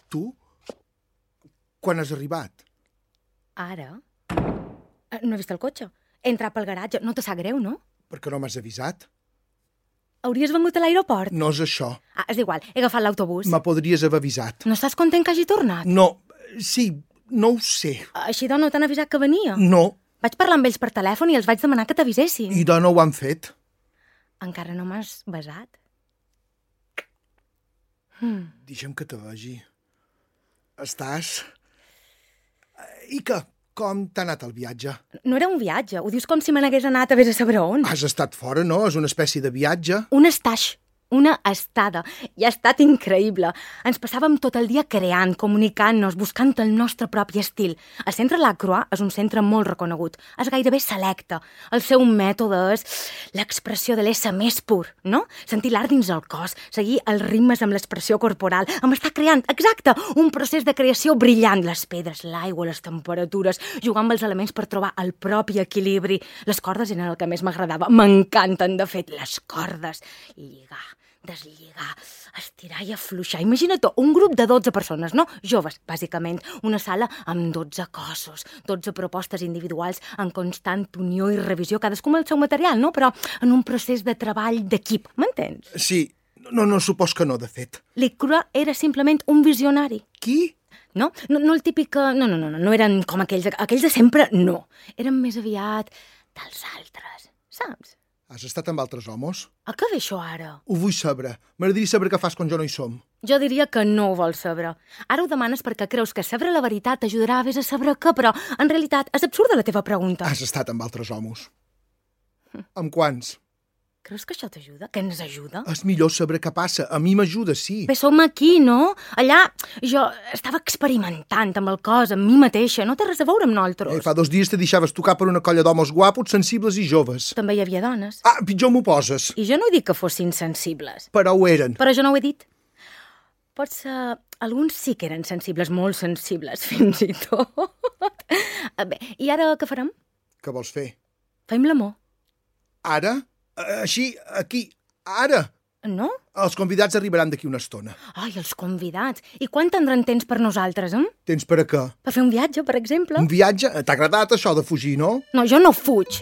Tu? Quan has arribat? Ara? No he vist el cotxe. He entrat pel garatge. No te sap greu, no? Per què no m'has avisat? Hauries vengut a l'aeroport? No és això. És igual, he agafat l'autobús. Me podries haver avisat. No estàs content que hagi tornat? No, sí, no ho sé. Així no t'han avisat que venia? No. Vaig parlar amb ells per telèfon i els vaig demanar que t'avisessin. I no ho han fet. Encara no m'has besat? Deixa'm que te vegi. Estàs... I què? Com t'ha anat el viatge? No era un viatge, ho dius com si me n'hagués anat a vés a saber on. Has estat fora, no? És una espècie de viatge. Un estaix, una estada. I ha estat increïble. Ens passàvem tot el dia creant, comunicant-nos, buscant el nostre propi estil. El centre Lacroix és un centre molt reconegut. És gairebé selecte. El seu mètode és l'expressió de l'ésser més pur, no? Sentir l'art dins el cos, seguir els ritmes amb l'expressió corporal, amb estar creant, exacte, un procés de creació brillant. Les pedres, l'aigua, les temperatures, jugar amb els elements per trobar el propi equilibri. Les cordes eren el que més m'agradava. M'encanten, de fet, les cordes. I lligar, deslligar, estirar i afluixar. Imagina't un grup de 12 persones, no? Joves, bàsicament. Una sala amb 12 cossos, 12 propostes individuals en constant unió i revisió, cadascú amb el seu material, no? Però en un procés de treball d'equip, m'entens? Sí, no supos que no, de fet. L'Icrua era simplement un visionari. Qui? No el típic que... No eren com aquells de sempre, no. Eren més aviat dels altres, saps? Has estat amb altres homes? A què ve això ara? Ho vull saber. M'agradaria saber què fas quan jo no hi som. Jo diria que no ho vols saber. Ara ho demanes perquè creus que saber la veritat t'ajudarà a vés a saber què, però en realitat és absurda la teva pregunta. Has estat amb altres homes. Amb quants? Creus que això t'ajuda? Que ens ajuda? És millor saber què passa. A mi m'ajuda, sí. Bé, som aquí, no? Allà jo estava experimentant amb el cos, amb mi mateixa. No té res a veure amb nosaltres. Fa 2 dies te deixaves tocar per una colla d'homes guapos, sensibles i joves. També hi havia dones. Pitjor m'ho poses. I jo no he dit que fossin sensibles. Però ho eren. Però jo no ho he dit. Potser alguns sí que eren sensibles, molt sensibles, fins i tot. Bé, i ara què farem? Què vols fer? Fem l'amor. Ara? Així, aquí, ara. No? Els convidats arribaran d'aquí una estona. Ai, els convidats. I quan tindran temps per nosaltres, Temps per a què? Per fer un viatge, per exemple. Un viatge? T'ha agradat això de fugir, no? No, jo no fuig.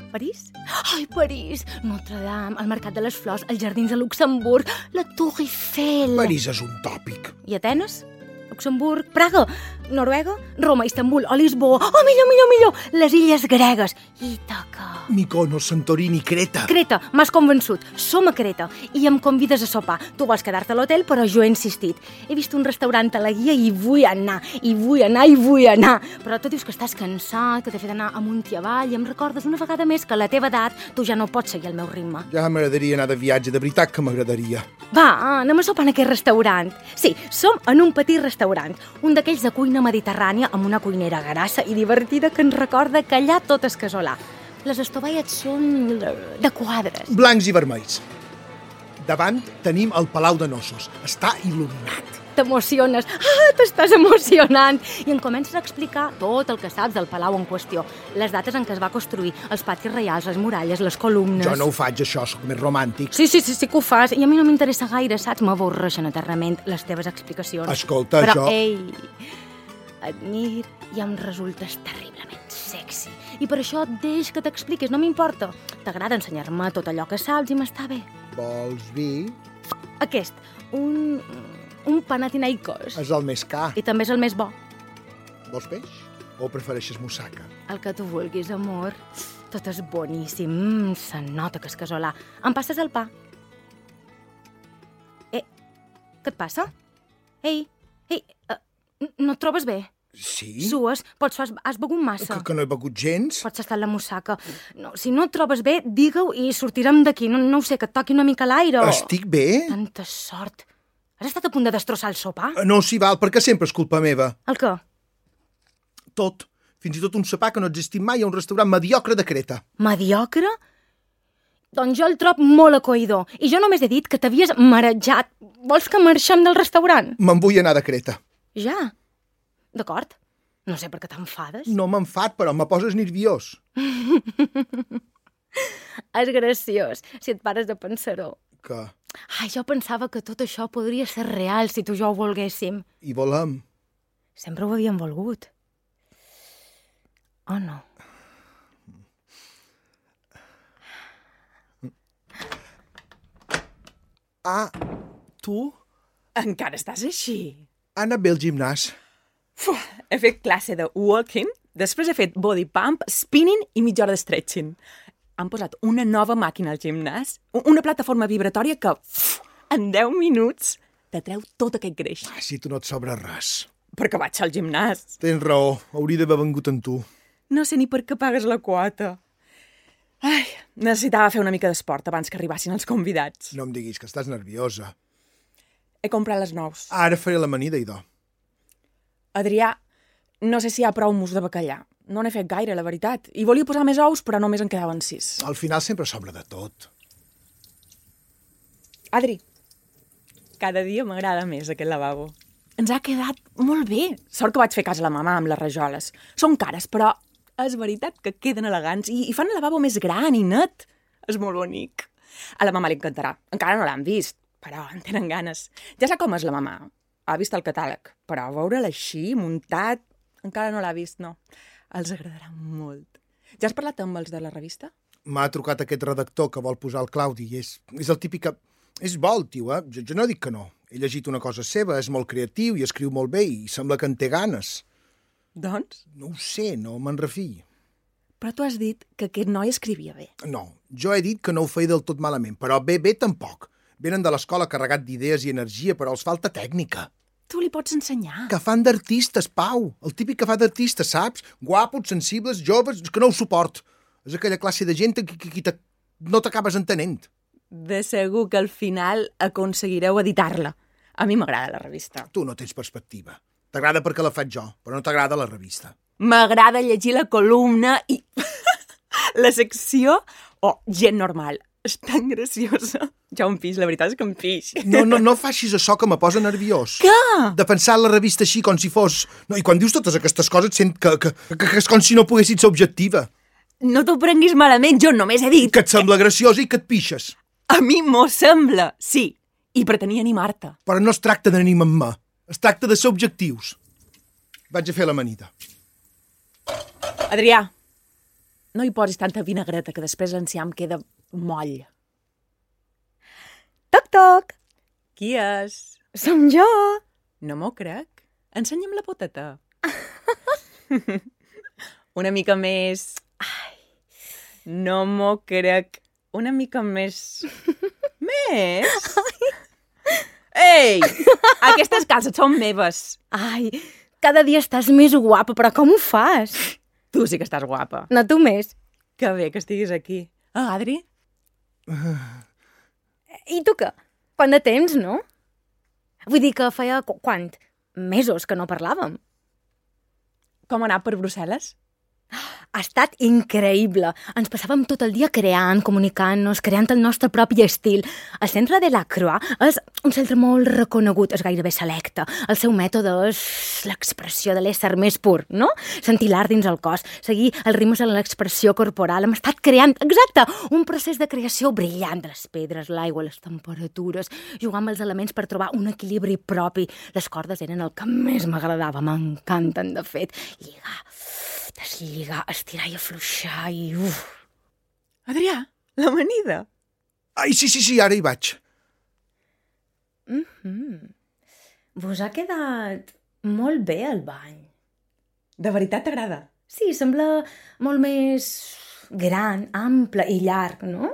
París? Ai, París! Notre Dame, el Mercat de les Flors, els Jardins de Luxemburg, la Tour Eiffel... París és un tòpic. I Atenes? Luxemburg, Praga, Noruega, Roma, Istanbul, o Lisboa... Oh, millor! Les illes gregues. Ítaca... Mykonos, Santorini, Creta. Creta, m'has convençut. Som a Creta i em convides a sopar. Tu vols quedar-te a l'hotel, però jo he insistit. He vist un restaurant a la guia i vull anar. Però tu dius que estàs cansat, que t'he fet anar amunt i avall, i em recordes una vegada més que a la teva edat tu ja no pots seguir el meu ritme. Ja m'agradaria anar de viatge, de veritat que m'agradaria. Va, anem a sopar en aquest restaurant. Sí, som en un petit restaurant, un d'aquells de cuina mediterrània amb una cuinera grassa i divertida que ens recorda que allà tot és casolà. Les estovalles són de quadres. Blancs i vermells. Davant tenim el Palau de Nossos. Està il·luminat. T'emociones. T'estàs emocionant. I em comences a explicar tot el que saps del palau en qüestió. Les dates en què es va construir, els patis reials, les muralles, les columnes... Jo no ho faig, això, sóc més romàntic. Sí que ho fas. I a mi no m'interessa gaire, saps? M'avorreixen eternament les teves explicacions. Escolta, però, jo... Admir i em resultes terriblement sexy. I per això deix que t'expliquis, no m'importa. T'agrada ensenyar-me tot allò que saps i m'està bé. Vols vi? Aquest, un Panathinaikos. És el més car. I també és el més bo. Vols peix? O prefereixes moussaka? El que tu vulguis, amor. Tot és boníssim. Se nota que és casolà. Em passes el pa? Què et passa? Ei, no et trobes bé? Sí? Sues? Has begut massa? Que no he begut gens? Pots estar en la moussaka. No, si no et trobes bé, digue-ho i sortirem d'aquí. No ho sé, que et toqui una mica l'aire. Estic bé? Tanta sort. Has estat a punt de destrossar el sopar? No, s'hi val, perquè sempre és culpa meva. El què? Tot. Fins i tot un sopar que no ha existit mai a un restaurant mediocre de Creta. Mediocre? Doncs jo el trob molt acoïdor. I jo només he dit que t'havies marejat. Vols que marxem del restaurant? Me'n vull anar de Creta. Ja? D'acord. No sé per què t'enfades. No m'enfad, però me poses nerviós. És graciós, si et pares de pensar-ho. Què? Ai, jo pensava que tot això podria ser real si tu i jo ho volguéssim. I volem. Sempre ho havíem volgut. Oh, no. Ah, tu? Encara estàs així? Ha anat bé al gimnàs. He fet classe de walking, després he fet body pump, spinning i mitja hora de stretching. Han posat una nova màquina al gimnàs, una plataforma vibratòria que en 10 minuts te treu tot aquest greix. Ah, si tu no et sobra res. Perquè vaig al gimnàs. Tens raó, hauria d'haver vengut amb tu. No sé ni per què pagues la quota. Ai, necessitava fer una mica d'esport abans que arribassin els convidats. No em diguis que estàs nerviosa. He comprat les nous. Ara faré l'amanida, idò. Adrià, no sé si hi ha prou mus de bacallà. No n'he fet gaire, la veritat. I volia posar més ous, però només en quedaven 6. Al final sempre sobra de tot. Adri, cada dia m'agrada més aquest lavabo. Ens ha quedat molt bé. Sort que vaig fer cas a la mamà amb les rajoles. Són cares, però és veritat que queden elegants i fan el lavabo més gran i net. És molt bonic. A la mamà li encantarà. Encara no l'han vist, però en tenen ganes. Ja sap com és la mamà. Ha vist el catàleg, però veure'l així, muntat, encara no l'ha vist, no. Els agradarà molt. Ja has parlat amb els de la revista? M'ha trucat aquest redactor que vol posar el Claudi i és el típic que... És bo, el tio, eh? Jo no dic que no. He llegit una cosa seva, és molt creatiu i escriu molt bé i sembla que en té ganes. Doncs? No ho sé, no me'n refiï. Però tu has dit que aquest noi escrivia bé. No, jo he dit que no ho feia del tot malament, però bé tampoc. Venen de l'escola carregat d'idees i energia, però els falta tècnica. Tu li pots ensenyar. Que fan d'artistes, Pau. El típic que fa d'artistes, saps? Guapos, sensibles, joves, que no ho suport. És aquella classe de gent que no t'acabes entenent. De segur que al final aconseguireu editar-la. A mi m'agrada la revista. Tu no tens perspectiva. T'agrada perquè la faig jo, però no t'agrada la revista. M'agrada llegir la columna i la secció gent normal. És tan graciosa. Ja un pix, la veritat és que un pix. No facis això que me posa nerviós. Què? De pensar la revista així com si fos... No, i quan dius totes aquestes coses et sent que és com si no poguessis ser objectiva. No t'ho prenguis malament, jo només he dit... Que et sembla graciosa i que et pixes. A mi m'ho sembla, sí. I pretenia animar-te. Però no es tracta d'animar-me. Es tracta de ser objectius. Vaig a fer l'amanida. Adrià, no hi posis tanta vinagreta que després l'enciam queda moll. Toc, toc! Qui és? Som jo! No m'ho crec. Ensenya'm la poteta. Una mica més... Ai, no m'ho crec. Una mica més... Més? Ei! Aquestes calces són meves. Ai, cada dia estàs més guapa, però com ho fas? Tu sí que estàs guapa. No, tu més. Que bé que estiguis aquí. Ah, Adri? I tu què? Quant de temps, no? Vull dir que feia... Quant? Mesos que no parlàvem. Com ha anat per Brussel·les? Ha estat increïble. Ens passàvem tot el dia creant, comunicant-nos, creant el nostre propi estil. El centre de la Croix és un centre molt reconegut, és gairebé selecte. El seu mètode és l'expressió de l'ésser més pur, no? Sentir l'art dins el cos, seguir els ritmes en l'expressió corporal. Hem estat creant, exacte, un procés de creació brillant de les pedres, l'aigua, les temperatures, jugar amb els elements per trobar un equilibri propi. Les cordes eren el que més m'agradava, m'encanten, de fet. Lligar, deslligar, estirar i afluixar i... Adrià, l'amanida. Ai, sí, ara hi vaig. Vos ha quedat molt bé el bany. De veritat t'agrada? Sí, sembla molt més gran, ample i llarg, no?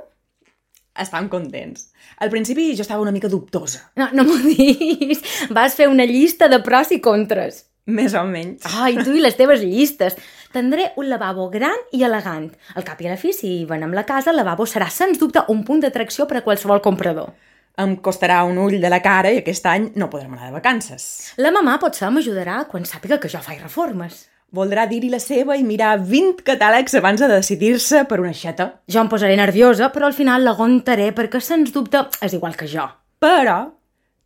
Estan contents. Al principi jo estava una mica dubtosa. No m'ho diguis. Vas fer una llista de pros i contres. Més o menys. Ai, tu i les teves llistes. Tindré un lavabo gran i elegant. Al cap i a la fi, si venem la casa, el lavabo serà, sens dubte, un punt d'atracció per a qualsevol comprador. Em costarà un ull de la cara i aquest any no podrem anar de vacances. La mamà potser m'ajudarà quan sàpiga que jo faig reformes. Voldrà dir-hi la seva i mirar 20 catàlegs abans de decidir-se per una aixeta. Jo em posaré nerviosa, però al final l'aguantaré perquè, sens dubte, és igual que jo. Però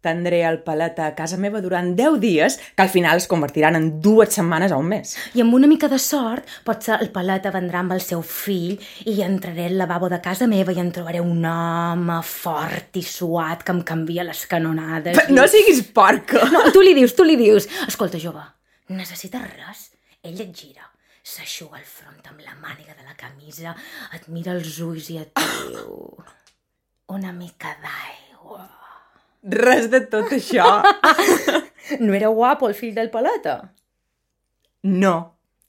Tindré el paleta a casa meva durant 10 dies, que al final es convertiran en 2 setmanes o un mes. I amb una mica de sort, potser el paleta vendrà amb el seu fill i entraré al lavabo de casa meva i en trobaré un home fort i suat que em canvia les canonades. No siguis porca! No, tu li dius. Escolta, jove, necessites res? Ell et gira, s'aixuga el front amb la màniga de la camisa, et mira els ulls i et diu... Una mica d'aigua. Res de tot això. No era guapo el fill del paleta? No.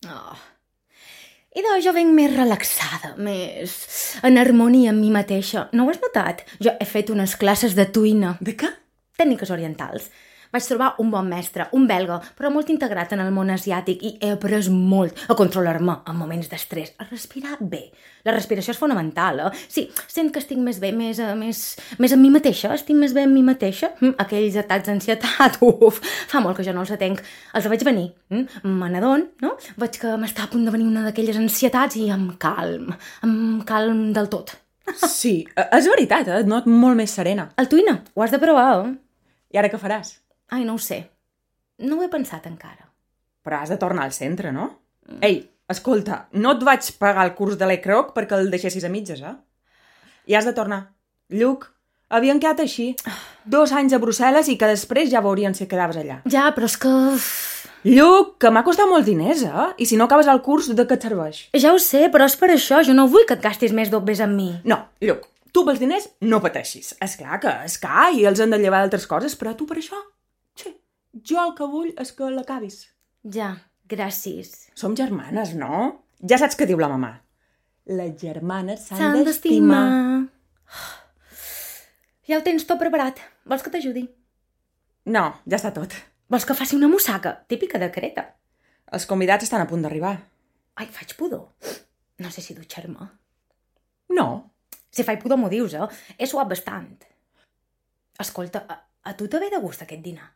Oh. I doncs jo venc més relaxada, més en harmonia amb mi mateixa. No ho has notat? Jo he fet unes classes de tuina. De què? Tècniques orientals. Vaig trobar un bon mestre, un belga, però molt integrat en el món asiàtic i he après molt a controlar-me en moments d'estrès, a respirar bé. La respiració és fonamental, eh? Sí, sent que estic més bé, més amb mi mateixa, estic més bé amb mi mateixa. Aquells atacs d'ansietat, fa molt que jo no els atenc. Els vaig venir, me n'adon, no? Veig que m'està a punt de venir una d'aquelles ansietats i amb calm del tot. Sí, és veritat, et noto molt més serena. El tuina, ho has de provar, eh? I ara què faràs? Ai, no ho sé. No ho he pensat encara. Però has de tornar al centre, no? Ei, escolta, no et vaig pagar el curs de l'ECROC perquè el deixessis a mitges, eh? I has de tornar. Lluc, havien quedat així. 2 anys a Brussel·les i que després ja veurien si quedaves allà. Ja, però és que... Lluc, que m'ha costat molt diners, eh? I si no acabes el curs, de què et serveix? Ja ho sé, però és per això. Jo no vull que et gastis més dobbes amb mi. No, Lluc, tu pels diners no pateixis. Esclar que és car i els han de llevar d'altres coses, però tu per això... Sí, jo el que vull és que l'acabis. Ja, gràcies. Som germanes, no? Ja saps què diu la mamà. Les germanes s'han d'estimar. Ja ho tens tot preparat. Vols que t'ajudi? No, ja està tot. Vols que faci una mussaca? Típica de Creta. Els convidats estan a punt d'arribar. Ai, faig pudor. No sé si dutxar-me. No. Si faig pudor m'ho dius, eh? He suat bastant. Escolta, a tu te ve de gust aquest dinar?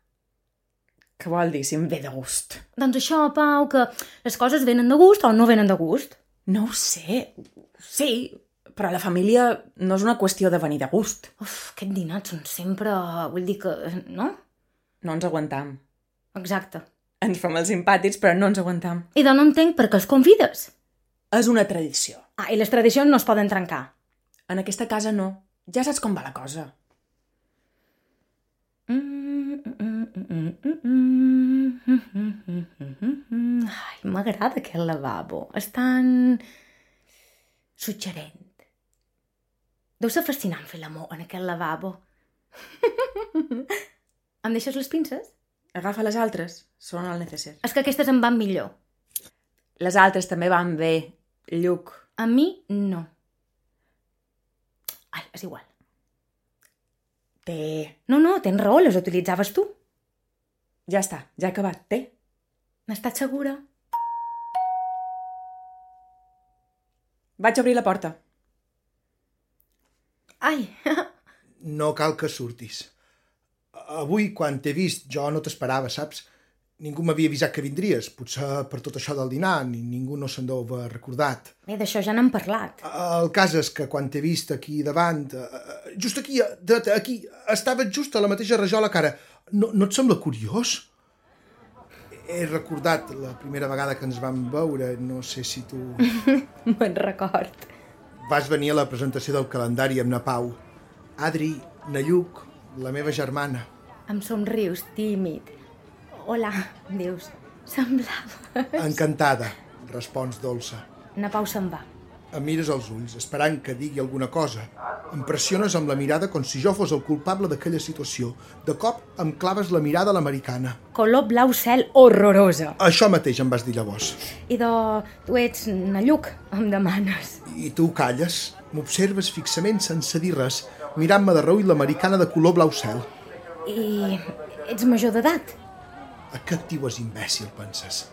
Què vol dir si em ve de gust? Doncs això, Pau, que les coses venen de gust o no venen de gust. No ho sé. Sí, però la família no és una qüestió de venir de gust. Aquest dinar són sempre... Vull dir que... No? No ens aguantam. Exacte. Ens fem els simpàtics, però no ens aguantam. I doncs no entenc per què els convides. És una tradició. Ah, i les tradicions no es poden trencar. En aquesta casa no. Ja saps com va la cosa. Ai, m'agrada aquest lavabo. És tan... suggerent. Deu ser fascinant fer l'amor en aquest lavabo. Em deixes les pinces? Agafa les altres. Són el necessari. És que aquestes em van millor. Les altres també van bé, Lluc. A mi, no. Ai, és igual. No, tens raó, les utilitzaves tu. Ja està, ja he acabat, té. N'estàs segura? Vaig obrir la porta. Ai! No cal que surtis. Avui, quan t'he vist, jo no t'esperava, saps? Ningú m'havia avisat que vindries. Potser per tot això del dinar, ningú no se'n deu haver recordat. Bé, d'això ja n'hem parlat. El cas és que quan t'he vist aquí davant, just aquí, aquí, estaves just a la mateixa rajola que ara. No et sembla curiós? He recordat la primera vegada que ens vam veure, no sé si tu... Me'n record. Vas venir a la presentació del calendari amb na Pau. Adri, na Lluc, la meva germana. Em somrius, tímid. Hola, dius. Semblaves... Encantada, respons dolça. Na Pau se'n va. Em mires als ulls, esperant que digui alguna cosa. Em pressiones amb la mirada com si jo fos el culpable d'aquella situació. De cop em claves la mirada a l'americana. Color blau cel horrorosa. Això mateix em vas dir llavors. I tu ets na Lluc, em demanes. I tu calles, m'observes fixament sense dir res, mirant-me de reull l'americana de color blau cel. I ets major d'edat? A què et dius imbècil, penses?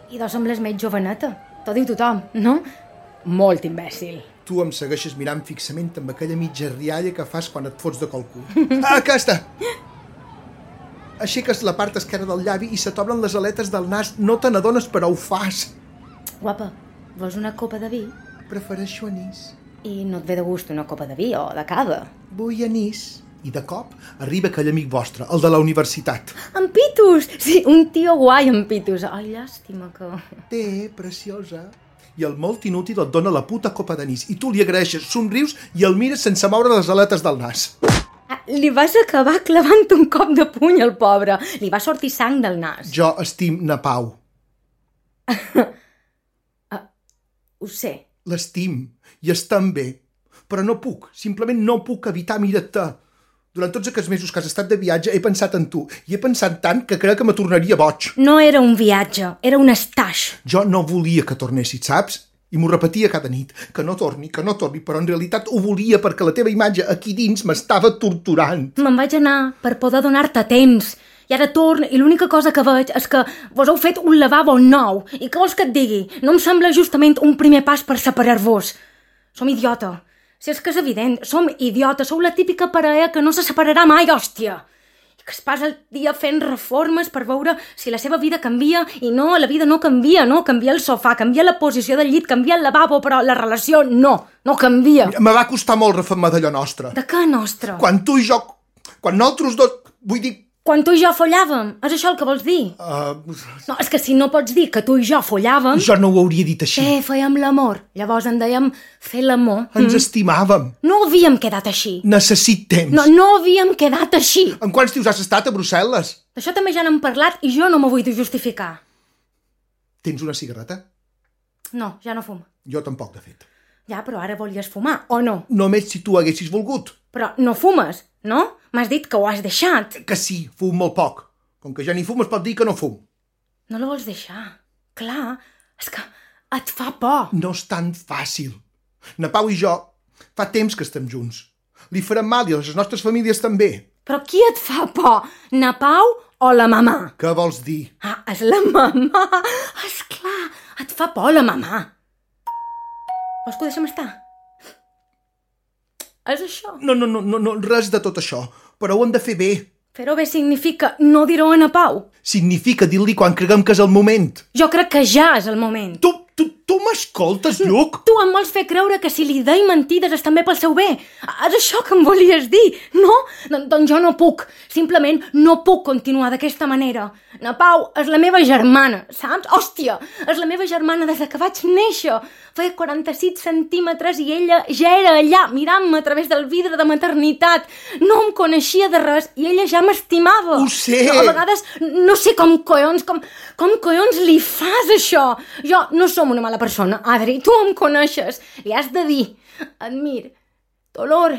I sembles més joveneta. T'ho diu tothom, no? Molt imbècil. Tu em segueixes mirant fixament amb aquella mitja rialla que fas quan et fots de qualcú. Aquesta! Aixeques la part esquerra del llavi i se t'obren les aletes del nas. No te n'adones, però ho fas. Guapa, vols una copa de vi? Prefereixo anís. I no et ve de gust una copa de vi o de cava? Vull anís. I de cop arriba aquell amic vostre, el de la universitat. En Pitus! Sí, un tio guai, en Pitus. Ai, llàstima que... Té, preciosa. I el molt inútil et dona la puta copa d'anís. I tu li agraeixes, somrius i el mires sense moure les aletes del nas. Li vas acabar clavant un cop de puny al pobre. Li va sortir sang del nas. Jo estim na Pau. Ho sé. L'estim i estem bé. Però no puc, simplement no puc evitar mirar-te. Durant tots aquests mesos que has estat de viatge he pensat en tu i he pensat tant que crec que me tornaria boig. No era un viatge, era un estaix. Jo no volia que tornessis, saps? I m'ho repetia cada nit, que no torni, però en realitat ho volia perquè la teva imatge aquí dins m'estava torturant. Me'n vaig anar per poder donar-te temps. I ara torn i l'única cosa que veig és que vos heu fet un lavabo nou. I què vols que et digui? No em sembla justament un primer pas per separar-vos. Som idiota. Si és que és evident, som idiotes, sou la típica parella que no se separarà mai, hòstia. I que es passa el dia fent reformes per veure si la seva vida canvia, i no, la vida no canvia, no, canvia el sofà, canvia la posició del llit, canvia el lavabo, però la relació no canvia. Me va costar molt refer-me d'allò nostre. De què nostre? Quan tu i jo, quan nosaltres dos, vull dir... Quan tu i jo follàvem, és això el que vols dir? No, és que si no pots dir que tu i jo follàvem... Jo no ho hauria dit així. Fèiem l'amor. Llavors en dèiem fer l'amor. Ens estimàvem. No havíem quedat així. Necessit temps. No havíem quedat així. En quants dius has estat a Brussel·les? D'això també ja n'hem parlat i jo no m'ho vull justificar. Tens una cigarreta? No, ja no fumo. Jo tampoc, de fet. Ja, però ara volies fumar, o no? Només si tu haguessis volgut. Però no fumes, no? M'has dit que ho has deixat. Que sí, fum molt poc. Com que ja ni fum, es pot dir que no fum. No la vols deixar. Clar, és que et fa por. No és tan fàcil. Na Pau i jo fa temps que estem junts. Li farem mal i a les nostres famílies també. Però qui et fa por? Na Pau o la mamà? Què vols dir? És la mamà. Esclar, et fa por la mamà. Vols que ho deixem estar? És això? No, res de tot això. Però ho hem de fer bé. Fer-ho bé significa no dir-ho a na Pau. Significa dir-li quan creguem que és el moment. Jo crec que ja és el moment. Tu m'escoltes, Lluc? Tu em vols fer creure que si li deia mentides és també pel seu bé. És això que em volies dir, no? Doncs jo no puc. Simplement no puc continuar d'aquesta manera. Na Pau és la meva germana, saps? Hòstia, és la meva germana des que vaig néixer. Feia 46 centímetres i ella ja era allà, mirant-me a través del vidre de maternitat. No em coneixia de res i ella ja m'estimava. Ho sé. A vegades no sé com collons li fas això. Jo no som una mala persona, Adri, tu em coneixes. Li has de dir, admir, dolor,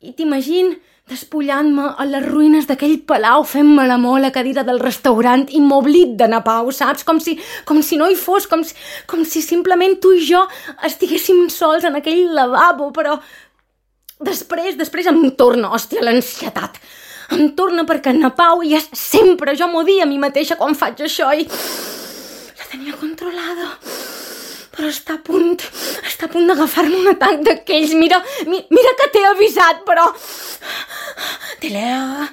i t'imagino despullant-me a les ruïnes d'aquell palau fent-me l'amor a la cadira del restaurant i m'oblid de na Pau, saps? Com si no hi fos, com si simplement tu i jo estiguéssim sols en aquell lavabo, però després em torna, hòstia, l'ansietat. Em torna perquè na Pau i és sempre, jo m'ho dic a mi mateixa quan faig això i la tenia controlada. Però està a punt d'agafar-me un atac d'aquells. Mira que t'he avisat, però... De l'air,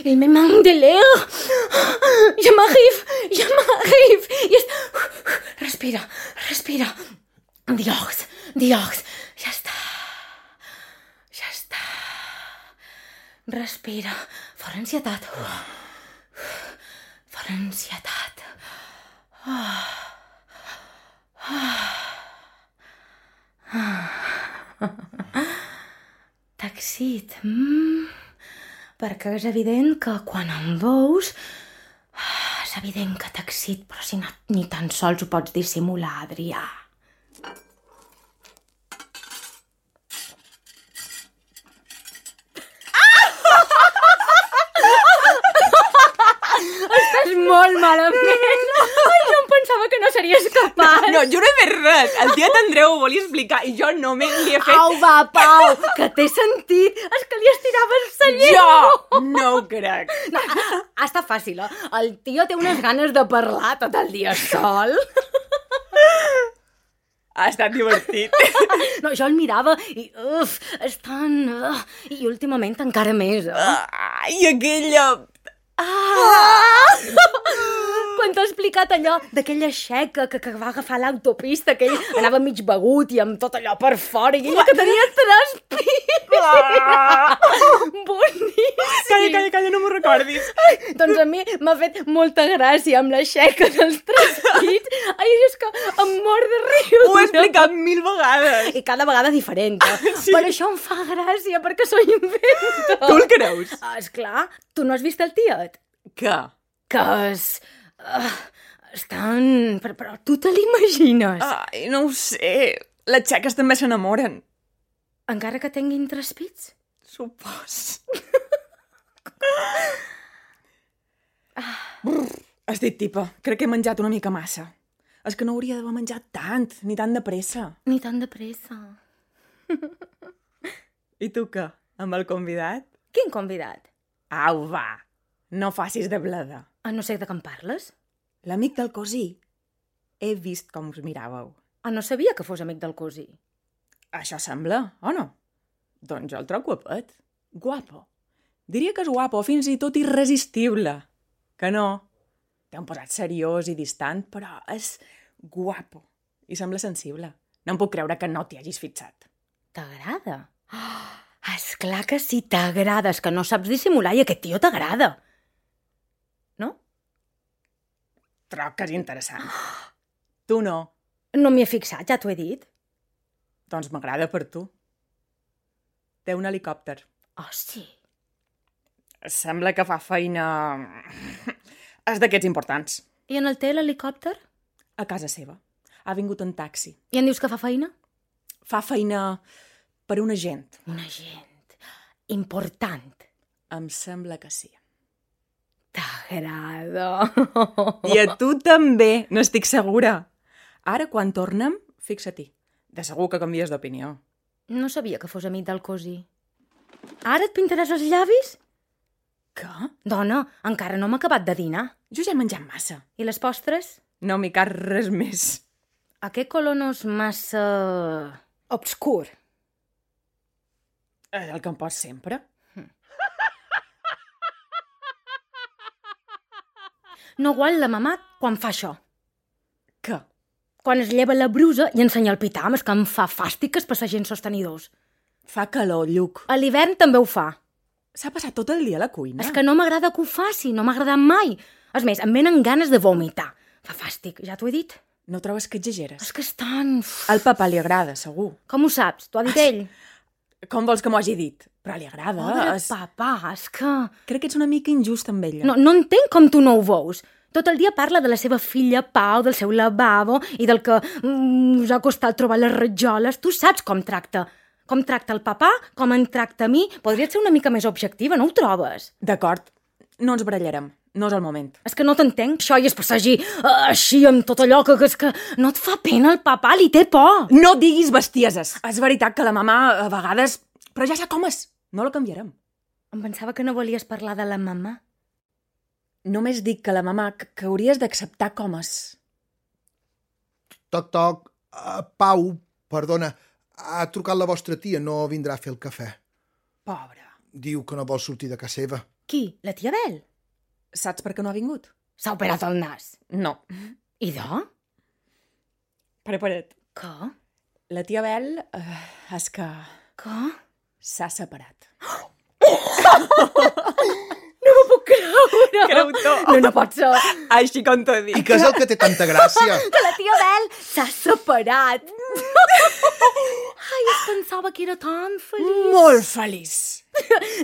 il me manque de l'air. Je m'arrive. Respira. Diox, ja està. Respira, fora ansietat. Taxit. Perquè és evident que quan em veus és evident que t'excit, però si ni tan sols ho pots dissimular, Adrià. Estàs molt malament. Ai, jo em pensava que no series capaç. No, jo no he fet res. El tiet Andreu ho volia explicar i jo no li he fet... Au, va, Pau, que t'he sentit. És que li estiraves la llengua. Jo no ho crec. No, està fàcil, eh? El tio té unes ganes de parlar tot el dia sol. Ha estat divertit. No, jo el mirava i... és tan... I últimament encara més, I aquella... Quan t'ha explicat allò d'aquella xeca que va agafar l'autopista, que ell anava mig begut i amb tot allò per fora, i ella que tenia 3 pits. Boníssim! Calla, no m'ho recordis. Doncs a mi m'ha fet molta gràcia amb la xeca dels 3 pits. Ai, és que em mor de riure. Ho he explicat 1000 vegades. I cada vegada diferent. Sí. Per això em fa gràcia, perquè soy invento. Tu el creus? Esclar, tu no has vist el tiet? Què? Que estan... Però tu te l'imagines? Ai, no ho sé. Les xeques també s'enamoren. Encara que tinguin 3 pits? Supos. Has dit, tipa, crec que he menjat una mica massa. És que no hauria d'haver menjat tant, ni tan de pressa. Ni tan de pressa. I tu què? Amb el convidat? Quin convidat? Au, va. No facis de bleda. No sé de què em parles. L'amic del cosí. He vist com us miràveu. No sabia que fos amic del cosí. Això sembla, o no? Doncs jo el trobo guapet. Guapo. Diria que és guapo, fins i tot irresistible. Que no? Té un posat seriós i distant, però és guapo. I sembla sensible. No em puc creure que no t'hi hagis fixat. T'agrada? Esclar que sí, t'agrada. És que no saps dissimular i aquest tio t'agrada. No? Troc que és interessant. Tu no. No m'hi he fixat, ja t'ho he dit. Doncs m'agrada per tu. Té un helicòpter. Oh, sí? Sembla que fa feina... És d'aquests importants. I en el té l'helicòpter? A casa seva. Ha vingut en taxi. I en dius que fa feina? Fa feina per un agent. Un agent important. Em sembla que sí. T'agrada. I a tu també, n'estic segura. Ara, quan tornem, fixa-t'hi. De segur que canvies d'opinió. No sabia que fos amic del cosí. Ara et pintaràs els llavis? Què? Dona, encara no m'ha acabat de dinar. Jo ja he menjat massa. I les postres? No m'hi cal res més. Aquest color no és massa... obscur. És el que em pots sempre. No gual la mamà quan fa això. Què? Quan es lleva la brusa i ensenya el pitam, és que em fa fàstic que es passa gens sostenidors. Fa calor, Lluc. A l'hivern també ho fa. S'ha passat tot el dia a la cuina. És que no m'agrada que ho faci, no m'ha agradat mai. És més, em venen ganes de vomitar. Fa fàstic, ja t'ho he dit. No trobes que exageres? És que és tan... Al papà li agrada, segur. Com ho saps? T'ho ha dit ell? Com vols que m'ho hagi dit? Però li agrada. Pobre papà, és que... Crec que ets una mica injust amb ella. No entenc com tu no ho veus. Tot el dia parla de la seva filla Pau, del seu lavabo i del que us ha costat trobar les rajoles. Tu saps com tracta. Com tracta el papà, com em tracta a mi. Podries ser una mica més objectiva, no ho trobes? D'acord, no ens barallarem. No és el moment. És que no t'entenc, això, i es passegi així amb tot allò que és que no et fa pena el papà, li té por. No diguis bestieses. És veritat que la mamà a vegades... Però ja sap com és. No la canviarem. Em pensava que no volies parlar de la mamà. Només dic que la mamà que hauries d'acceptar com és. Toc, toc. Pau, perdona, ha trucat la vostra tia, no vindrà a fer el cafè. Pobra. Diu que no vol sortir de casa seva. Qui? La tia Bel? Saps per què no ha vingut? S'ha operat el nas. No. I de? Prepara't. Què? La tia Bel és que Què? s'ha separat. No m'ho puc creure. Creu-t'ho. No pot ser. Així com t'ho dic. I què és el que té tanta gràcia? Que la tia Bel s'ha separat. Ai, es pensava que era tan feliç. Molt feliç.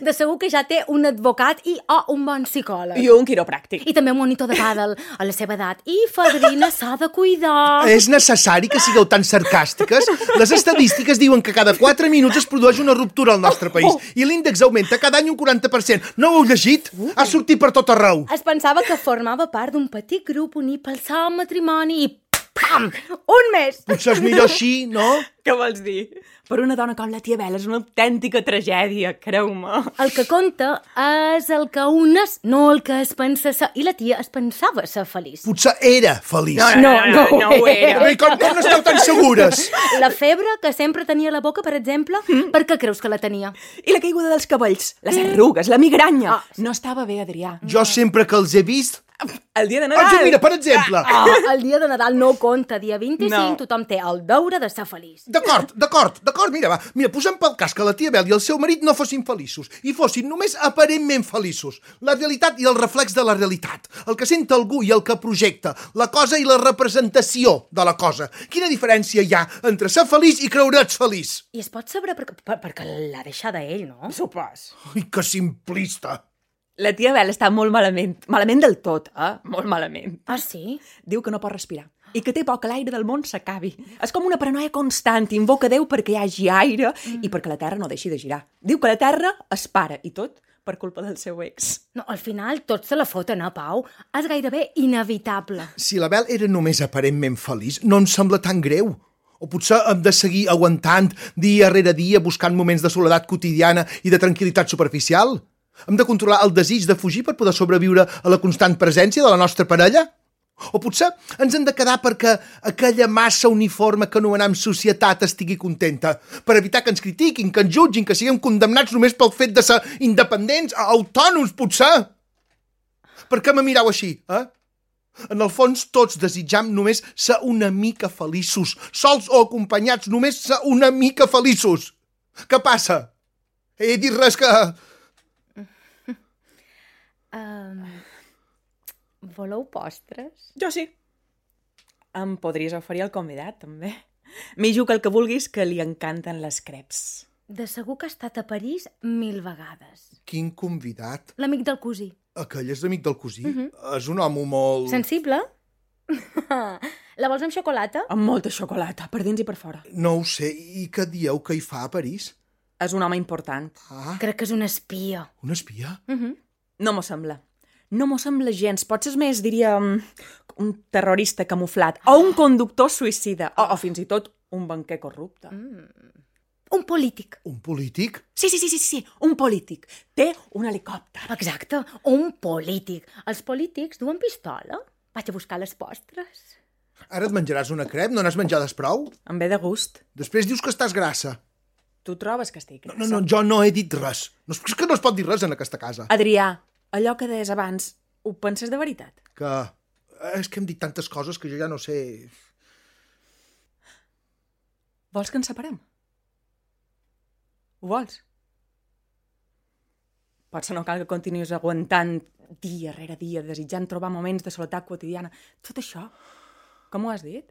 De segur que ja té un advocat i un bon psicòleg. I un quiropràctic. I també un monitor de pàdel a la seva edat. I fadrina s'ha de cuidar. És necessari que sigueu tan sarcàstiques? Les estadístiques diuen que cada 4 minuts es produeix una ruptura al nostre país i l'índex augmenta cada any un 40%. No ho heu llegit? Ha sortit per tot arreu. Es pensava que formava part d'un petit grup unit pel seu matrimoni i pam! Un mes! Potser és millor així, no? Què vols dir? Per una dona com la tia Bel és una autèntica tragèdia, creu-me. El que compta és el que un és, no el que es pensa ser. I la tia es pensava ser feliç. Potser era feliç. No ho era. I com n'esteu tan segures? La febre que sempre tenia a la boca, per exemple, per què creus que la tenia? I la caiguda dels cabells, les arrugues, la migranya. No estava bé, Adrià. Jo sempre que els he vist El dia de Nadal... Doncs mira, per exemple... El dia de Nadal no compta. Dia 25 No. tothom té el deure de ser feliç. D'acord, mira, va. Mira, posem pel cas que la tia Bel i el seu marit no fossin feliços i fossin només aparentment feliços. La realitat i el reflex de la realitat. El que sent algú i el que projecta. La cosa i la representació de la cosa. Quina diferència hi ha entre ser feliç i creure's feliç? I es pot saber perquè l'ha deixada ell, no? Sopars. Ai, que simplista. La tia Bel està molt malament. Malament del tot, Molt malament. Ah, sí? Diu que no pot respirar i que té por que l'aire del món s'acabi. És com una paranoia constant. Invoca Déu perquè hi hagi aire i perquè la Terra no deixi de girar. Diu que la Terra es para i tot per culpa del seu ex. No, al final tots se la foten, Pau? És gairebé inevitable. Si la Bel era només aparentment feliç, no em sembla tan greu. O potser hem de seguir aguantant dia rere dia buscant moments de soledat quotidiana i de tranquil·litat superficial? Hem de controlar el desig de fugir per poder sobreviure a la constant presència de la nostra parella? O potser ens hem de quedar perquè aquella massa uniforme que anomenem societat estigui contenta, per evitar que ens critiquin, que ens jutgin, que siguem condemnats només pel fet de ser independents, autònoms, potser? Per què me mireu així, En el fons, tots desitjam només ser una mica feliços, sols o acompanyats, només ser una mica feliços. Què passa? He dit res que... Voleu postres? Jo sí. Em podries oferir el convidat, també. M'hi jugo el que vulguis, que li encanten les creps. De segur que ha estat a París 1000 vegades. Quin convidat? L'amic del cosí. Aquell és l'amic del cosí? És un home molt... Sensible? La vols amb xocolata? Amb molta xocolata, per dins i per fora. No ho sé. I què dieu que hi fa a París? És un home important. Crec que és un espia. Un espia? No m'ho sembla. No m'ho sembla gens. Potser és més, diria, un terrorista camuflat, o un conductor suïcida, o fins i tot un banquer corrupte. Un polític. Un polític? Sí, un polític. Té un helicòpter. Exacte, un polític. Els polítics duen pistola. Vaig a buscar les postres. Ara et menjaràs una crep? No n'has menjades prou? Em ve de gust. Després dius que estàs grassa. Tu trobes que estic grassa? No, jo no he dit res. No, és que no es pot dir res en aquesta casa. Adrià, allò que deies abans, ho penses de veritat? Que... És que hem dit tantes coses que jo ja no sé... Vols que ens separem? Ho vols? Potser no cal que continuïs aguantant dia rere dia, desitjant trobar moments de soledat quotidiana. Tot això, com ho has dit?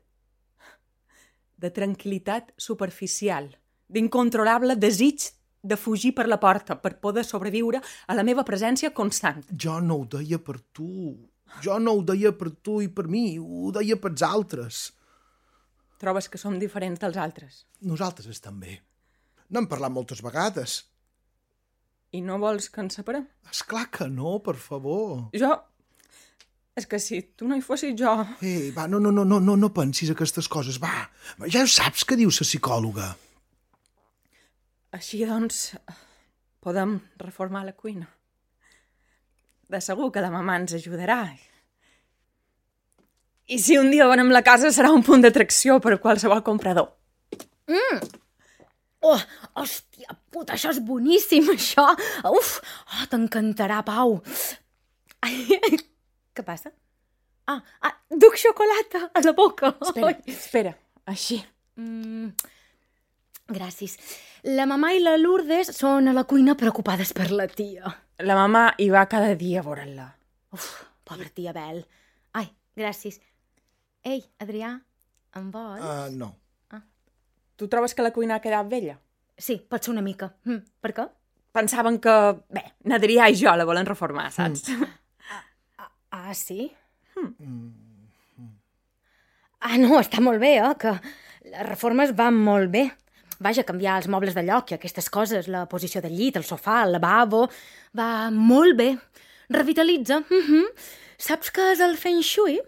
De tranquil·litat superficial, d'incontrolable desig de fugir per la porta per poder sobreviure a la meva presència constant. Jo no ho deia per tu. Jo no ho deia per tu i per mi. Ho deia pels altres. Trobes que som diferents dels altres? Nosaltres també. N'hem parlat moltes vegades. I no vols que ens separem? Esclar que no, per favor. Jo... És que si tu no hi fossis jo... Va, no pensis aquestes coses, va. Ja ho saps què diu la psicòloga. Així, doncs, podem reformar la cuina. De segur que la mamà ens ajudarà. I si un dia venem la casa serà un punt d'atracció per a qualsevol comprador. Oh, hòstia puta, això és boníssim, això. Uf, t'encantarà, Pau. Ai, què passa? Duc xocolata a la boca. Espera, així. Gràcies. La mamà i la Lourdes són a la cuina preocupades per la tia. La mamà hi va cada dia a veure-la. Uf, pobra tia Bel. Ai, gràcies. Ei, Adrià, em vols? No. Tu trobes que la cuina ha quedat vella? Sí, pot ser una mica. Per què? Pensaven que, n'Adrià i jo la volen reformar, saps? Sí? No, està molt bé, que les reformes van molt bé. Vaja, canviar els mobles de lloc i aquestes coses, la posició del llit, el sofà, el lavabo... Va molt bé. Revitalitza. Saps què és el Feng Shui?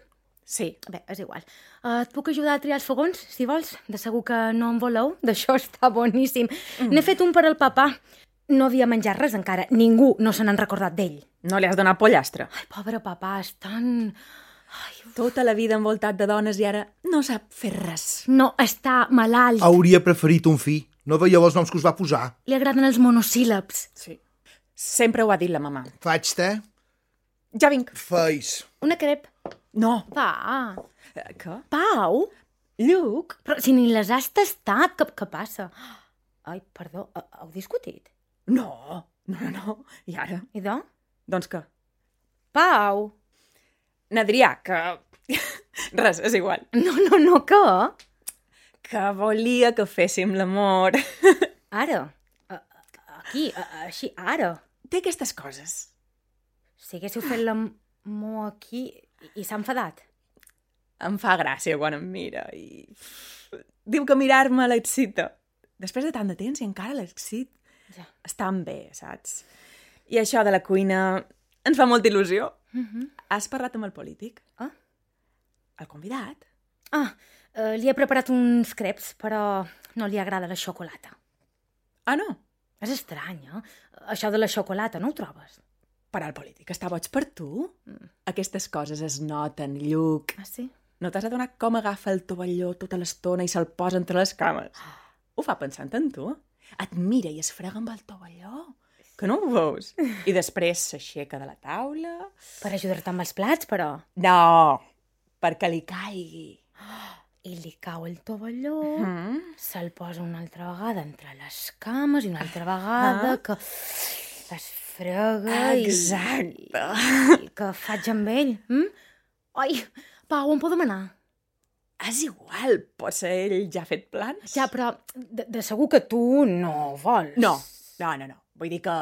Sí. Bé, és igual. Et puc ajudar a triar els fogons, si vols? De segur que no en voleu. D'això està boníssim. N'he fet un per al papà. No havia menjat res encara. Ningú no se n'han recordat d'ell. No li has donat pollastre? Ai, pobre papà, és tan... Tota la vida envoltat de dones i ara no sap fer res. No, està malalt. Hauria preferit un fill. No veieu els noms que us va posar? Li agraden els monosíl·labs. Sí. Sempre ho ha dit la mamà. Faig te? Ja vinc. Feis. Una crep. No. Va. Què? Pau? Lluc? Però si ni les has tastat, què passa? Ai, perdó, heu discutit? No. I ara? Idò? Doncs què? Pau? N'Adrià, que... Res, és igual. No, què? Que volia que féssim l'amor. Ara? Aquí, així, ara? Té aquestes coses. Si haguéssiu fet l'amor aquí i s'ha enfadat. Em fa gràcia quan em mira i... Diu que mirar-me l'excita. Després de tant de temps i encara l'excit. Ja. Estan bé, saps? I això de la cuina ens fa molta il·lusió. Has parlat amb el polític? Ah? El convidat? Li he preparat uns creps, però no li agrada la xocolata. Ah, no? És estrany, eh? Això de la xocolata, no ho trobes? Per al polític està boig per tu? Aquestes coses es noten, Lluc. Ah, sí? No t'has adonat com agafa el tovalló tota l'estona i se'l posa entre les cames? Ho fa pensant en tu? Et mira i es frega amb el tovalló. Que no ho veus? I després s'aixeca de la taula... Per ajudar-te amb els plats, però... No, perquè li caigui. I li cau el tovalló, se'l posa una altra vegada entre les cames i una altra vegada que es frega Exacte. i què faig amb ell? Ai, Pau, on podem anar? És igual, potser ell ja ha fet plans. Ja, però de segur que tu no vols. No. Vull dir que...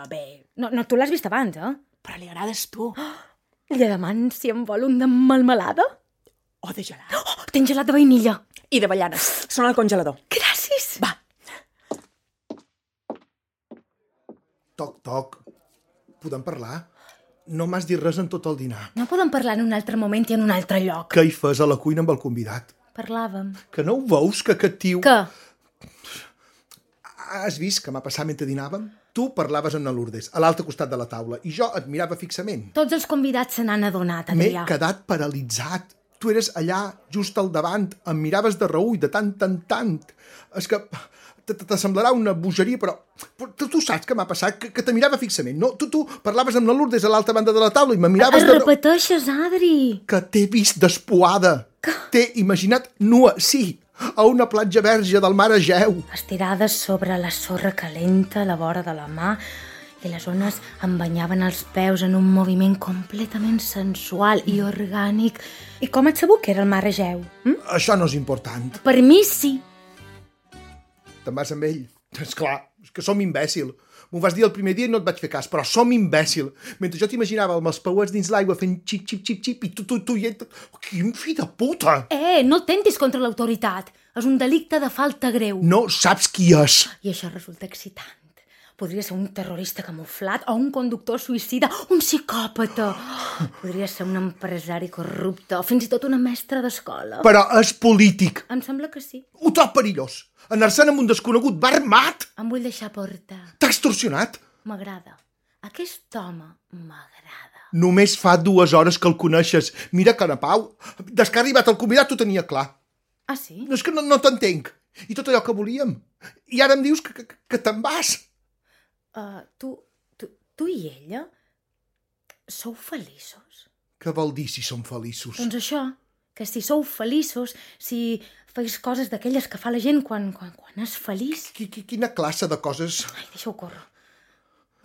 Bé, No, tu l'has vist abans, eh? però li agrades tu. Li demano si em vol un de melmelada? O de gelat. Tens gelat de vainilla. I de avellanes. Són al congelador. Gràcies. Va. Toc. Podem parlar? No m'has dit res en tot el dinar. No podem parlar en un altre moment i en un altre lloc. Què hi fes a la cuina amb el convidat? Parlàvem. Que no ho veus, que aquest tio... Què? Has vist que m'ha passat mentre dinàvem? Tu parlaves amb la Lourdes, a l'altre costat de la taula, i jo et mirava fixament. Tots els convidats se n'han adonat, M'he Adrià. quedat paralitzat. Tu eres allà, just al davant, em miraves de reull, de tant en tant. És que t'assemblarà una bogeria, però tu saps què m'ha passat, que te mirava fixament, no? Tu parlaves amb la Lourdes a l'altra banda de la taula i me miraves de reull. Repeteixes, Adri. Que t'he vist despuada. T'he imaginat nua, sí, a una platja verge del mar Egeu. Estirades sobre la sorra calenta a la vora de la mà i les ones em banyaven els peus en un moviment completament sensual i orgànic. I com et sabut que era el mar Egeu? Això no és important. Per mi sí. Te'n vas amb ell? Esclar, és que som imbècil. M'ho vas dir el primer dia i no et vaig fer cas, però som imbècil. Mentre jo t'imaginava amb els pauets dins l'aigua fent xip, xip, xip, xip, i tu i ell... Quin fill de puta! No tentis contra l'autoritat. És un delicte de falta greu. No saps qui és. I això resulta excitant. Podria ser un terrorista camuflat o un conductor suïcida, un psicòpata. Podria ser un empresari corrupte o fins i tot una mestra d'escola. Però és polític. Em sembla que sí. Ho trob perillós. Anar-se'n amb un desconegut va armat. Em vull deixar portar. T'ha extorsionat. M'agrada. Aquest home m'agrada. Només fa 2 hores que el coneixes. Mira que na Pau, des que ha arribat el convidat, ho tenia clar. Ah, sí? No, és que no t'entenc. I tot allò que volíem. I ara em dius que te'n vas. Tu i ella sou feliços? Què vol dir si som feliços? Doncs això, que si sou feliços, si feis coses d'aquelles que fa la gent quan és feliç... Quina classe de coses? Ai, deixa-ho córrer.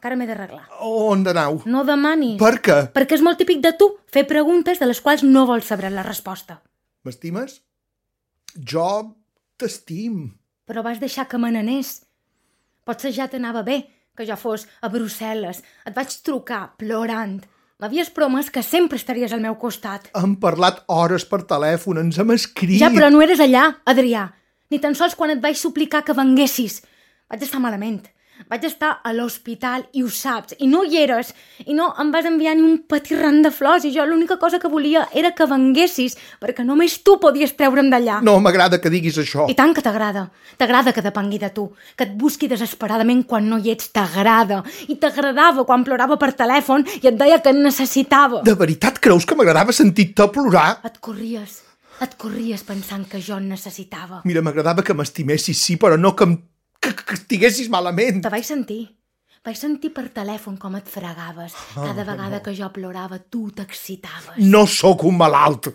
Encara m'he d'arreglar. On d'anau? No demanis. Per què? Perquè és molt típic de tu fer preguntes de les quals no vols saber la resposta. M'estimes? Jo t'estim. Però vas deixar que me n'anés. Potser ja t'anava bé que jo fos a Brussel·les. Et vaig trucar plorant. M'havies promès que sempre estaries al meu costat. Hem parlat hores per telèfon, ens hem escrit... Ja, però no eres allà, Adrià. Ni tan sols quan et vaig suplicar que venguessis. Vaig estar malament. Vaig estar a l'hospital i ho saps. I no hi eres. I no em vas enviar ni un petit ram de flors. I jo l'única cosa que volia era que venguessis, perquè només tu podies treure'm d'allà. No m'agrada que diguis això. I tant que t'agrada. T'agrada que depengui de tu. Que et busqui desesperadament quan no hi ets. T'agrada. I t'agradava quan plorava per telèfon i et deia que et necessitava. De veritat creus que m'agradava sentir-te plorar? Et corries pensant que jo en necessitava. Mira, m'agradava que m'estimessis, sí, però no que estiguessis malament. Te vaig sentir. Vaig sentir per telèfon com et fregaves. Cada vegada que jo plorava, tu t'excitaves. No sóc un malalt.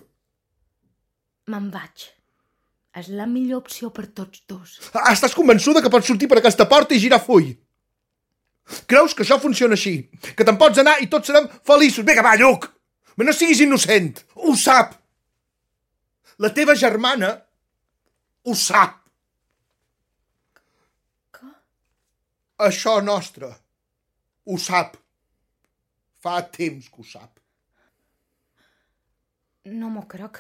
Me'n vaig. És la millor opció per tots dos. Estàs convençuda que pots sortir per aquesta porta i girar full? Creus que això funciona així? Que te'n pots anar i tots serem feliços? Vinga, va, Lluc! No siguis innocent. Ho sap. La teva germana ho sap. Què? Això nostre ho sap. Fa temps que ho sap. No m'ho crec.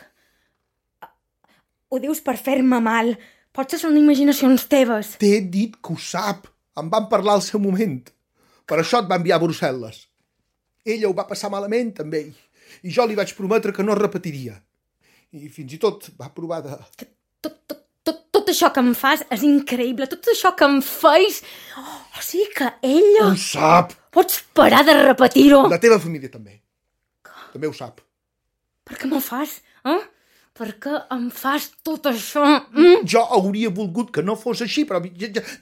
Ho dius per fer-me mal. Potser són imaginacions teves. T'he dit que ho sap. Em van parlar al seu moment. Per això et va enviar a Brussel·les. Ella ho va passar malament amb ell. I jo li vaig prometre que no es repetiria. I fins i tot va provar de... Tot això que em fas és increïble. Tot això que em feis... O sigui que ella... Ho sap! Pots parar de repetir-ho? La teva família també. També ho sap. Per què m'ho fas? Per què em fas tot això? Jo hauria volgut que no fos així, però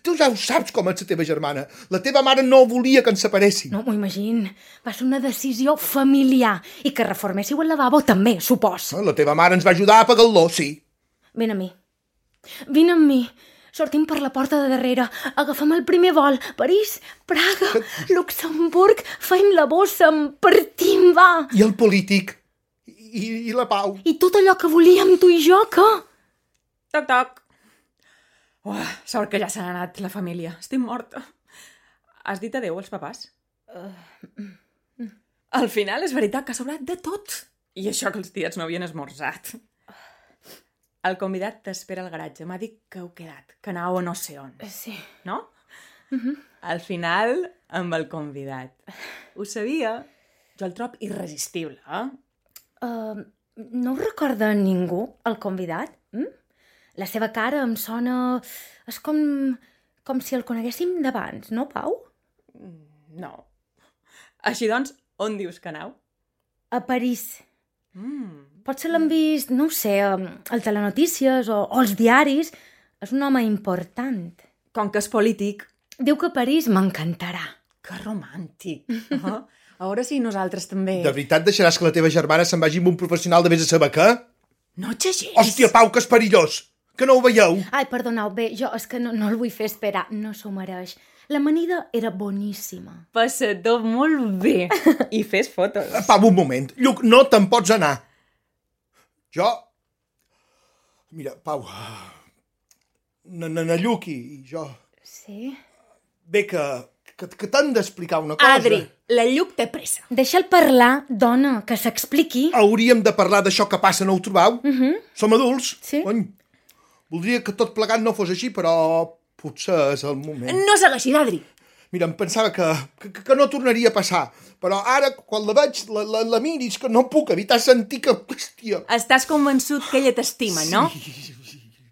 tu ja ho saps com és la teva germana. La teva mare no volia que ens separessin. No m'ho imagino. Va ser una decisió familiar. I que reforméssiu el lavabo també, supos. La teva mare ens va ajudar a pagar-lo, sí. Vine amb mi. Vine amb mi. Sortim per la porta de darrere. Agafem el primer vol. París, Praga, Luxemburg. Feim la bossa, en partim, va. I el polític. I la pau. I tot allò que volíem tu i jo, què? Toc, toc. Sort que ja s'ha anat la família. Estic morta. Has dit adéu als papàs? Al final és veritat que ha sobrat de tot. I això que els tiets no havien esmorzat. El convidat t'espera al garatge. M'ha dit que heu quedat, que anau a no sé on. Sí. No? Al final, amb el convidat. Ho sabia. Jo el trob irresistible, No ho recorda ningú, el convidat? La seva cara em sona... És com si el coneguéssim d'abans, no, Pau? No. Així doncs, on dius que anau? A París. Potser l'han vist, no ho sé, al Telenotícies o als diaris. És un home important. Com que és polític. Diu que París m'encantarà. Que romàntic. A veure si nosaltres també... De veritat deixaràs que la teva germana se'n vagi amb un professional de vés a saber què? No xagis! Hòstia, Pau, que és perillós! Que no ho veieu? Ai, perdoneu, bé, jo és que no el vull fer esperar, no s'ho mereix. L'amanida era boníssima. Passador molt bé. I fes fotos. Pau, un moment. Lluc, no te'n pots anar. Jo... Mira, Pau... Na Lluc i jo... Sí? Bé, que t'han d'explicar una cosa. Adri, la Lluc té pressa. Deixa'l parlar, dona, que s'expliqui. Hauríem de parlar d'això que passa, no ho trobau? Som adults. Sí. Cony. Voldria que tot plegat no fos així, però potser és el moment. No segueixi, Adri. Mira, em pensava que no tornaria a passar, però ara, quan la veig, la miris, que no puc evitar sentir que... Hòstia. Estàs convençut que ella t'estima, no?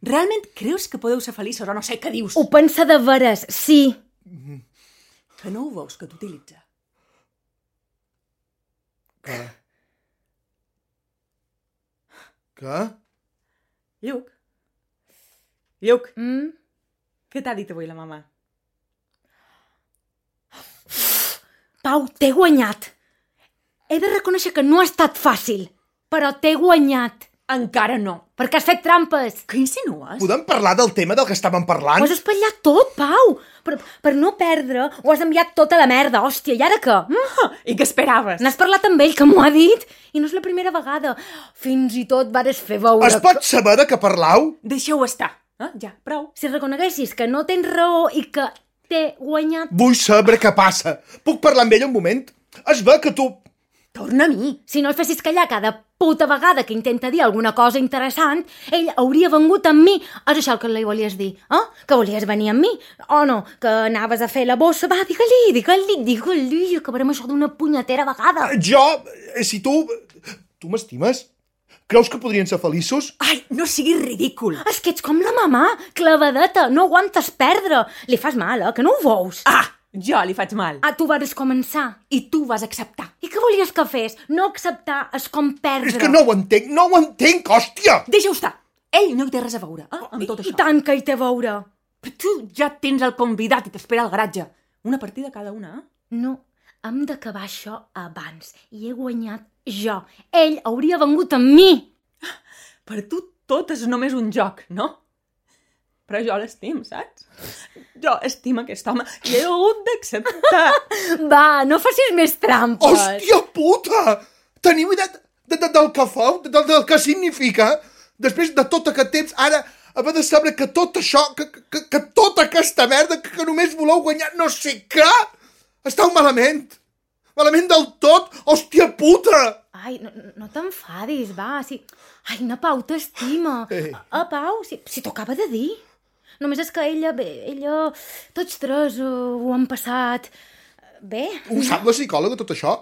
Realment creus que podeu ser feliços o no sé què dius? Ho pensa de veres, sí. Que no ho veus, que t'utilitza. Què? Què? Lluc? Lluc? Què t'ha dit avui la mama? Pau, t'he guanyat. He de reconèixer que no ha estat fàcil, però t'he guanyat. Encara no. Perquè has fet trampes. Què insinues? Podem parlar del tema del que estàvem parlant? Ho has espatllat tot, Pau. Per no perdre, ho has enviat tota la merda, hòstia. I ara què? I què esperaves? N'has parlat amb ell, que m'ho ha dit? I no és la primera vegada. Fins i tot vares fer veure... Es pot saber de què parlau? Deixeu estar. Ja, prou. Si reconeguessis que no tens raó i que t'he guanyat... Vull saber què passa. Puc parlar amb ell un moment? Es ve que tu... Torna a mi. Si no el fessis callar cada puta vegada que intenta dir alguna cosa interessant, ell hauria vengut amb mi. És això el que li volies dir, Que volies venir amb mi? O no, que anaves a fer la bossa? Va, digue-li, acabarem això d'una punyetera vegada. Jo, si tu... Tu m'estimes? Creus que podrien ser feliços? Ai, no siguis ridícul. És que ets com la mamà, clavadeta, no aguantes perdre. Li fas mal, que no ho veus? Jo li faig mal. Tu vas començar. I tu vas acceptar. I què volies que fes? No acceptar és com perdre. És que no ho entenc, hòstia! Deixa-ho estar. Ell no hi té res a veure, amb tot això. I tant que hi té a veure. Però tu ja tens el convidat i t'espera al garatge. Una partida cada una, No, hem d'acabar això abans. I he guanyat jo. Ell hauria vengut amb mi. Per tu tot és només un joc, no? Però jo l'estim, saps? Jo estimo aquest home i he hagut d'acceptar. Va, no facis més trampes. Hòstia puta! Teniu idea del que feu? Del que significa? Després de tot aquest temps, ara haver de saber que tot això, que tota aquesta merda, que només voleu guanyar no sé què, esteu malament. Malament del tot. Hòstia puta! Ai, no t'enfadis, va. Si... Ai, na Pau t'estima. Pau, si t'ho acaba de dir. Només és que ella... Tots tres ho han passat... Bé. Ho sap la psicòloga, tot això?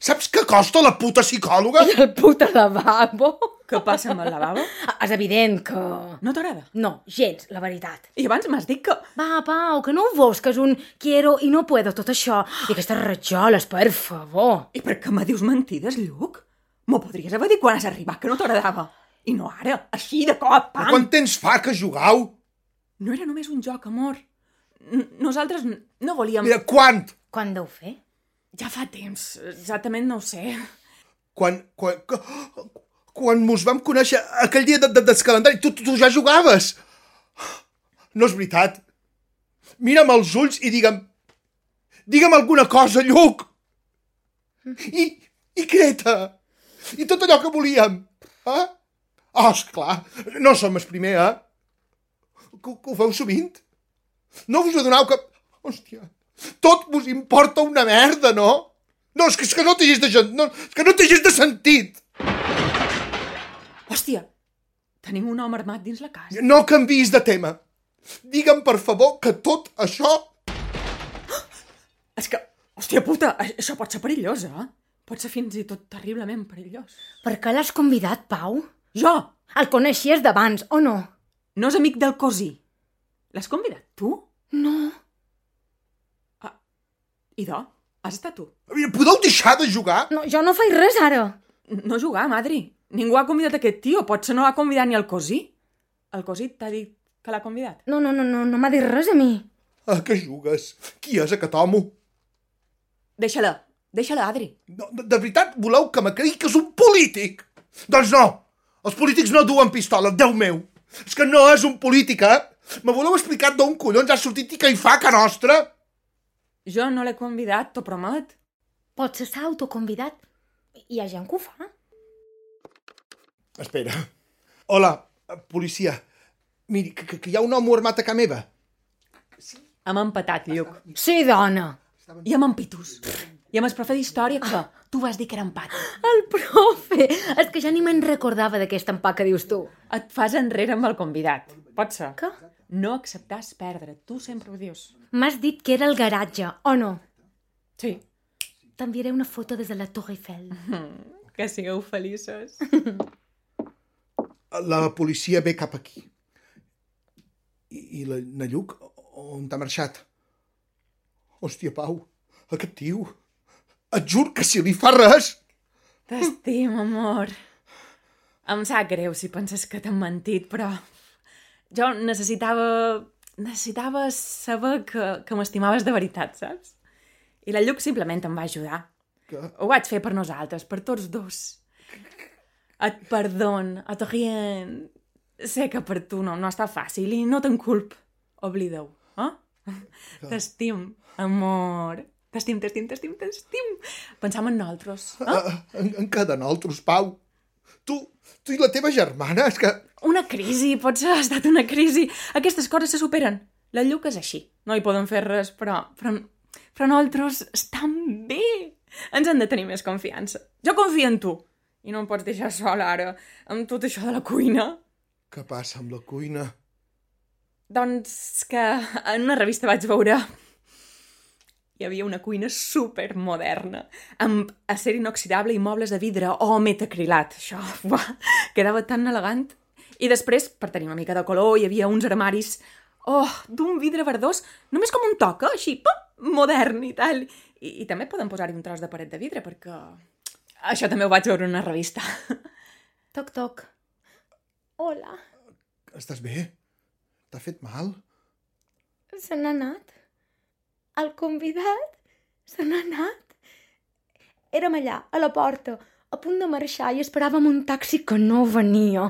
Saps què costa la puta psicòloga? I el puta lavabo. Què passa amb el lavabo? És evident que... No t'agrada? No, gens, la veritat. I abans m'has dit que... Va, Pau, que no ho veus, que és un quiero i no puedo, tot això. I aquestes rajoles, per favor. I per què me dius mentides, Lluc? M'ho podries haver dit quan has arribat, que no t'agradava. I no ara, així de cop, pam! Quant temps fa que jugueu? No era només un joc, amor. Nosaltres no volíem... Mira, quan? Quan deu fer? Ja fa temps, exactament no ho sé. Quan mos vam conèixer aquell dia del calendari, tu ja jugaves. No és veritat. Mira'm als ulls i digue'm alguna cosa, Lluc. I Creta. I tot allò que volíem. Esclar, no som el primer, Que ho feu sovint? No us adoneu que... Hòstia, tot vos importa una merda, no? No, és que no té gens de sentit. Hòstia, tenim un home armat dins la casa. No canviïs de tema. Digue'm, per favor, que tot això... És que, hòstia puta, això pot ser perillós, Pot ser fins i tot terriblement perillós. Per què l'has convidat, Pau? Jo? El coneixies d'abans, o no? No és amic del cosí. L'has convidat tu? No. Idò, has estat tu? Podeu deixar de jugar? No, jo no faig res, ara. No jugar, madri. Ningú ha convidat aquest tio. Potser no ha convidat ni el cosí. El cosí t'ha dit que l'ha convidat? No m'ha dit res a mi. Que jugues? Qui és aquest home? Deixa-la, Adri. No, de veritat voleu que me cregui que és un polític? Doncs no! Els polítics no duen pistola, Déu meu! És que no és un polític, Me voleu explicar d'on collons ha sortit i què hi fa, que nostra? Jo no l'he convidat, t'ho promet. Potser s'ha autoconvidat. Hi ha gent que ho fa. Espera. Hola, policia. Miri, que hi ha un home armat a casa meva. Hem empatat, Lluc. Sí, dona. I amb en Pitus. I amb el profe d'història, que tu vas dir que era empat. El profe! És que ja ni me'n recordava d'aquest empat que dius tu. Et fas enrere amb el convidat. Pot ser. Què? No acceptàs perdre. Tu sempre ho dius. M'has dit que era el garatge, o no? Sí. T'enviaré una foto des de la Torre Eiffel. Que sigueu feliços. La policia ve cap aquí. I la Lluc, on t'ha marxat? Hòstia, Pau, aquest tio... Et jur que si li fa res... T'estim, amor. Em sap greu si penses que t'han mentit, però... Jo necessitava saber que m'estimaves de veritat, saps? I la Lluc simplement em va ajudar. Que? Ho vaig fer per nosaltres, per tots dos. Et perdon, et rien. Sé que per tu no està fàcil i no te'n culp. Oblida-ho, T'estim, amor. T'estim. Pensam en nosaltres. En què de nosaltres, Pau? Tu i la teva germana, és que... Una crisi, potser ha estat una crisi. Aquestes coses se superen. La Lluc és així. No hi poden fer res, però nosaltres estem bé. Ens han de tenir més confiança. Jo confio en tu. I no em pots deixar sola ara, amb tot això de la cuina. Què passa amb la cuina? Doncs que en una revista vaig veure... Hi havia una cuina supermoderna, amb acer inoxidable i mobles de vidre o metacrilat. Això, quedava tan elegant. I després, per tenir una mica de color, hi havia uns armaris d'un vidre verdós, només com un toc, així, modern i tal. I també poden posar-hi un tros de paret de vidre, perquè això també ho vaig veure en una revista. Toc, toc. Hola. Estàs bé? T'ha fet mal? Se n'ha anat. el convidat se n'ha anat. Érem allà, a la porta, a punt de marxar, i esperàvem un taxi que no venia.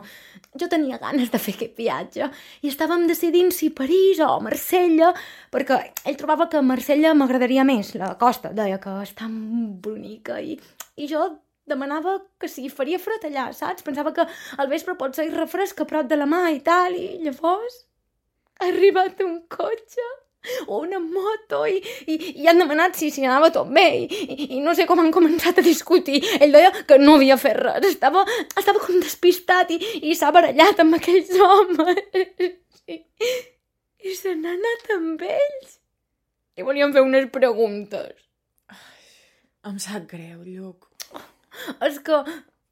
Jo tenia ganes de fer aquest viatge i estàvem decidint si París o Marsella, perquè ell trobava que Marsella m'agradaria més, la costa, deia que és tan bonica, i jo demanava que si faria fred allà, saps? Pensava que al vespre pot ser refresc a prop de la mà i tal, i llavors ha arribat un cotxe o una moto i han demanat si anava tot bé i no sé com han començat a discutir. Ell deia que no havia fet res, estava com despistat i s'ha barallat amb aquells homes i se n'ha anat amb ells i volíem fer unes preguntes. Em sap greu, Lluc. És que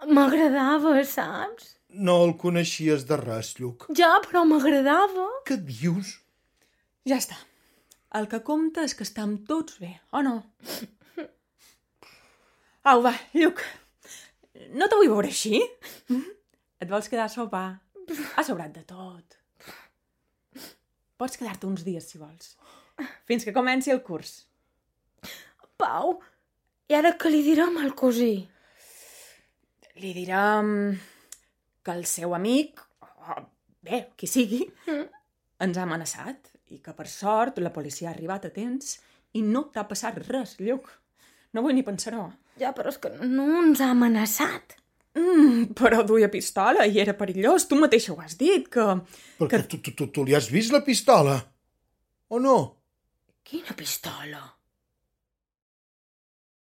m'agradava, saps? No el coneixies de res, Lluc. Ja, però m'agradava. Què dius? Ja està. El que compta és que estem tots bé, o no? Au, va, Lluc. No te vull veure així? Et vols quedar a sopar? Ha sobrat de tot. Pots quedar-te uns dies, si vols. Fins que comenci el curs. Pau, i ara què li direm al cosí? Li direm que el seu amic, bé, qui sigui, ens ha amenaçat i que, per sort, la policia ha arribat a temps i no t'ha passat res, Lluc. No vull ni pensar-ho. Ja, però és que no ens ha amenaçat. Però duia pistola i era perillós. Tu mateixa ho has dit, que... Perquè tu li has vist la pistola? O no? Quina pistola?